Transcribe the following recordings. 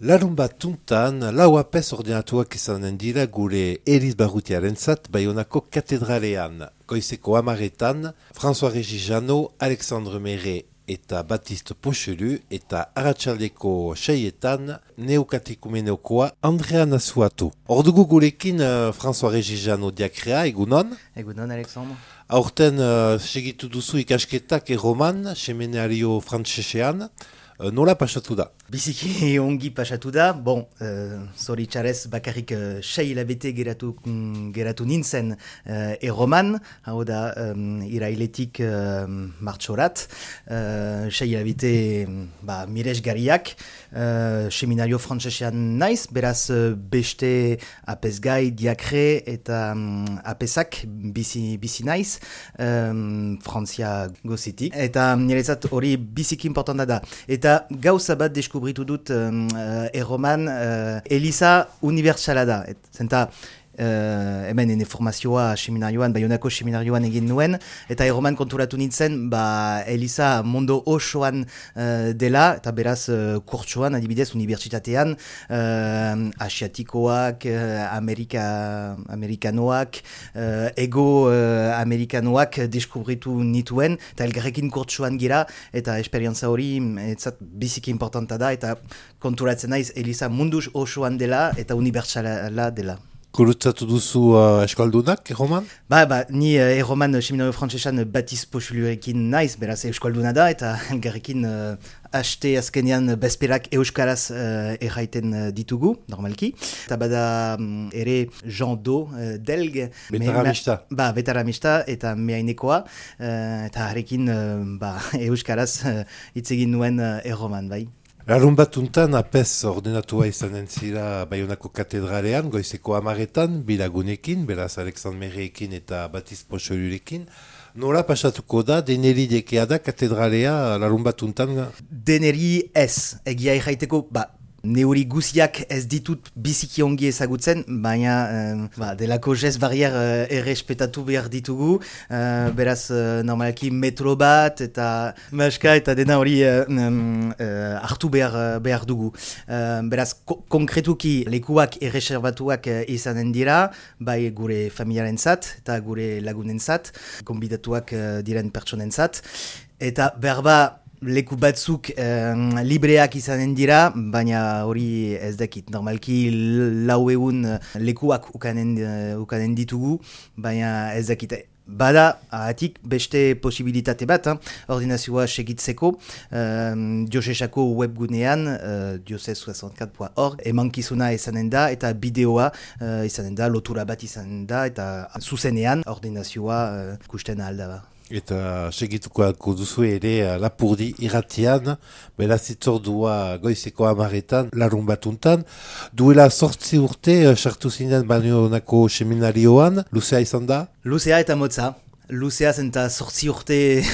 Larun bat tuntan, lau apez ordenatuak izanen dira gure Eliz Barrutiarentzat Baionako katedralean. Goizeko amaretan, François-Régis Jeannot, Alexandre Méré eta Baptiste Pochelu eta arratsaldeko seietan neokatekumeneokoa Andrea Nasuatu. Ordugu gurekin François-Régis Jeannot diakrea, egunon? Egunon, Alexandre. Aurten segitu duzu ikasketak erroman, seminario frantsesean. Nola pasatu da? Biziki ongi pasatu da. Bon, zoritxarez bakarrik 6 hilabete geratu nintzen erroman, hau da irailetik martxorat. 6 hilabete miresgarriak, seminario frantsesean naiz, beraz beste apezgai, diakre eta apezak bizi naiz, Frantzia gozitik. Eta niretzat hori biziki importanta da. Eta gauza bat deskubritu dut erroman, Eliza unibertsala da. Zenta hemen ene formazioa seminarioan, Baionako seminarioan egin nuen, eta erroman konturatu nintzen, Eliza mondo osoan dela, eta beraz kurtsoan, adibidez, unibertsitatean, asiatikoak, amerikanoak, ego-amerikanoak deskubritu nituen, eta elgarrekin kurtsoan gira, eta esperientza hori etzat biziki importanta da, eta konturatzen naiz Eliza mundu osoan dela, eta unibertsala dela. Gurutzatu duzu eskaldunak, erroman? Ni erroman seminario frantsesan Baptiste Pochelurekin naiz, beraz euskalduna da, eta elgarrekin haste azkenean bezperak euskaraz erraiten ditugu, normalki. Eta bada ere Jean Do, delg. Betaramista. Betaramista eta meainekoa, eta harekin euskaraz hitz egin nuen erroman, bai. Larun bat tuntan apez ordenatua izanen zira Baionako katedralean, goizeko amaretan, bilagunekin, beraz Alexandre Méréekin eta Baptiste Pochelurekin. Nola pasatuko da, deneri dekea da katedralea larun bat tuntan? Deneri ez, egia erraiteko, neuri guziak ez ditut biziki ongi ezagutzen, baina delako jez barrier errespetatu behar ditugu, beraz normalki metro bat eta maska eta dena hori hartu behar dugu. Beraz konkretuki lekuak erreserbatuak izanen dira, bai gure familiarentzat eta gure lagunentzat, konbidatuak diren pertsonentzat, eta berba leku batzuk libreak izanen dira, baina hori ez dakit. Normalki 400 lekuak ukanen ditugu, baina ez dakit. Bada, ahatik beste posibilitate bat, ordinazioa segitzeko, diosesako webgunean, dioses64.org, emankizuna izanen da, eta bideoa izanen da, lotura bat izanen da, eta zuzenean ordinazioa kusten alda ba. Eta segituko alko duzu ere Lapurdi irratian, beraz itzordua goizeko amaretan, larun batuntan. Duela 8 urte, sartu zinen Baionako seminarioan, luzea izan da? Luzea eta motza. Luzea zenta 8 urte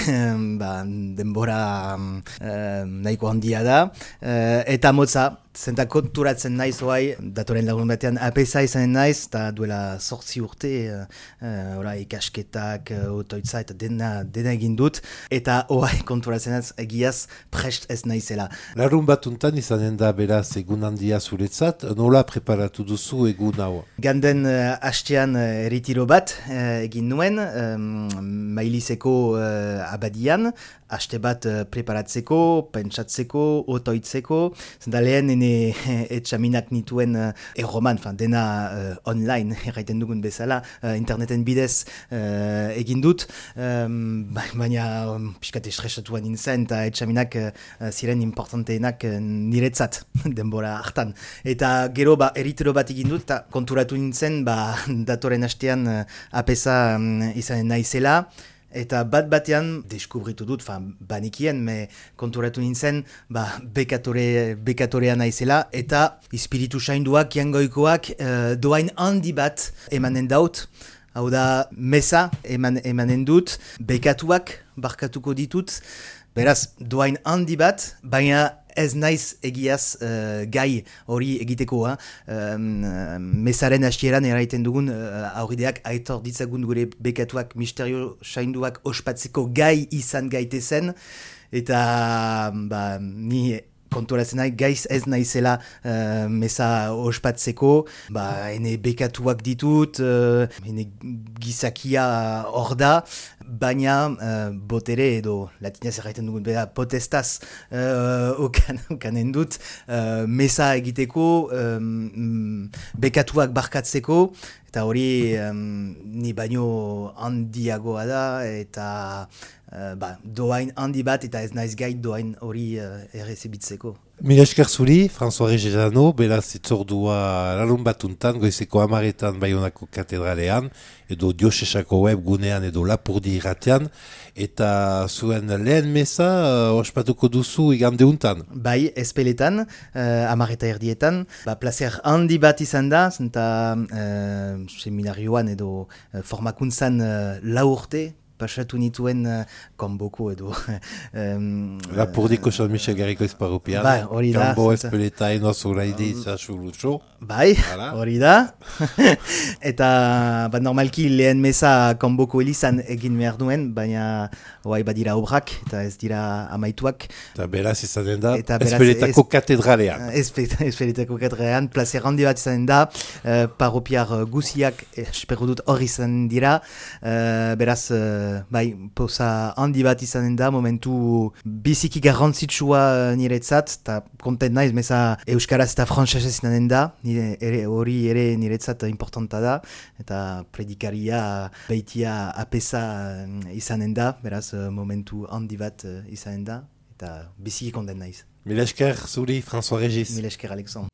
denbora nahiko handia da, eta motza. Zenta konturatzen naiz oai, datoren lagun batean apesa izanen naiz, eta duela 8 urte ikasketak, otoitza eta dena egin dut, eta oai konturatzen naiz egiaz prest ez naizela. Larun batuntan izanen da beraz egun handia zuretzat, nola preparatu duzu egun hau? Ganden hastean erritiro bat egin nuen, Mailizeko abadian, haste bat preparatzeko, pentsatzeko, otoitzeko, zenta lehen etxaminak nituen erroman, dena online erraiten dugun bezala, interneten bidez egin dut, baina piskat estresatuan nintzen eta etxaminak ziren importanteenak niretzat denbora hartan. Eta gero eritero bat egin dut eta konturatu nintzen datoren hastean apesa izanen naizela. Eta batean, deskubritu dut, banikien, konturatu nintzen, bekatorea naizela, eta espiritu sainduak, jangoikoak, doain handi bat emanen daut, hau da, mesa emanen dut, bekatuak barkatuko ditut, beraz, doain handi bat, baina ez naiz egiaz gai hori egiteko. Mesaren hastieran eraiten dugun aurrideak aitor ditzagun gure bekatuak misterio sainduak ospatzeko gai izan gaitezen, eta ni konturatzen nahi, gaiz ez naizela meza ospatzeko, ene bekatuak ditut, ene gizakia hor da, baina botere edo latinez erraiten dugun bera potestaz okanen dut meza egiteko, bekatuak barkatzeko, eta hori ni baino handiagoa da, eta doain handi bat eta ez naiz gai doain hori errezibitzeko. Mila esker zuri, François Regezano, beraz itzordua larun batuntan, goizeko 10:00 Baionako katedralean, edo Diosesako web gunean edo Lapurdi irratean, eta zuen lehen meza ospatuko duzu igandeuntan. Bai, espeletan, 10:30, placer handi bat izan da, zenta seminarioan edo formakuntzan 4 urte, pasatu nituen kanboko edo... Lapurdiko San Michel Garriko Esparrupian, hori da. Kanbo espeleta enoz uraidi zaxurutxo. Bai, hori da. Eta normalki lehen meza kanboko elizan egin behar duen, baina badira obrak eta ez dira amaituak. Eta beraz izanen da, espeletako katedralean. Espeletako katedralean, placer handi bat izanen da, parropiar guziak espero dut hor izan dira, beraz... posa handi bat izanen da, momentu biziki garrantzitsua niretzat, eta kontent naiz, meza euskaraz eta frantsesez izanen da, hori ere niretzat importanta da, eta predikaria baitia apesa izanen da, beraz momentu handi bat izanen da, eta biziki kontent naiz. Mila esker zuri, François Regis. Mila esker, Alexandre.